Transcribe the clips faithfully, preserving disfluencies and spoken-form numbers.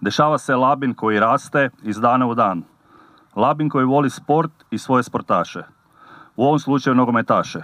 Dešava se Labin koji raste iz dana u dan. Labin koji voli sport i svoje sportaše. U ovom slučaju nogometaše.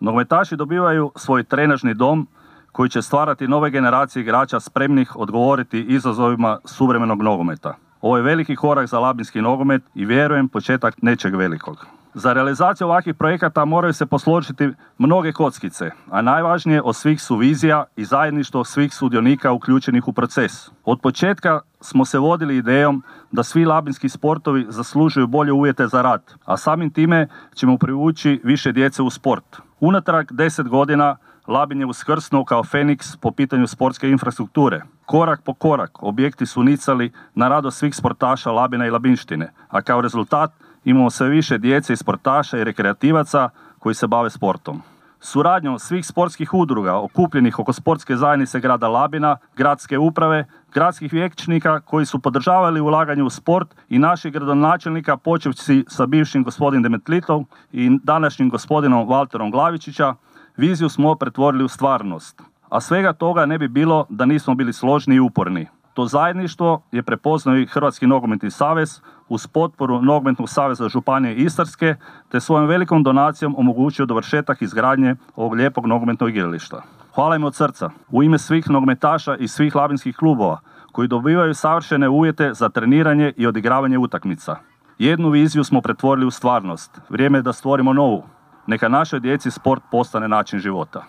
Nogometaši dobivaju svoj trenažni dom koji će stvarati nove generacije igrača spremnih odgovoriti izazovima suvremenog nogometa. Ovo je veliki korak za labinski nogomet i vjerujem početak nečeg velikog. Za realizaciju ovakvih projekata moraju se posložiti mnoge kockice, a najvažnije od svih su vizija i zajedništvo svih sudionika uključenih u proces. Od početka smo se vodili idejom da svi labinski sportovi zaslužuju bolje uvjete za rad, a samim time ćemo privući više djece u sport. Unatrag deset godina Labin je uskrsnuo kao Feniks po pitanju sportske infrastrukture. Korak po korak objekti su nicali na radost svih sportaša Labina i Labinštine, a kao rezultat imamo sve više djece i sportaša i rekreativaca koji se bave sportom. Suradnjom svih sportskih udruga okupljenih oko sportske zajednice grada Labina, gradske uprave, gradskih vijećnika koji su podržavali ulaganje u sport i naših gradonačelnika počevši sa bivšim gospodinom Demetlitom i današnjim gospodinom Valterom Glavičića, viziju smo pretvorili u stvarnost. A svega toga ne bi bilo da nismo bili složni i uporni. To zajedništvo je prepoznao i Hrvatski nogometni savez uz potporu Nogometnog saveza Županije Istarske te svojom velikom donacijom omogućio dovršetak izgradnje ovog lijepog nogometnog igrališta. Hvala im od srca u ime svih nogometaša i svih labinskih klubova koji dobivaju savršene uvjete za treniranje i odigravanje utakmica. Jednu viziju smo pretvorili u stvarnost. Vrijeme je da stvorimo novu. Neka našoj djeci sport postane način života.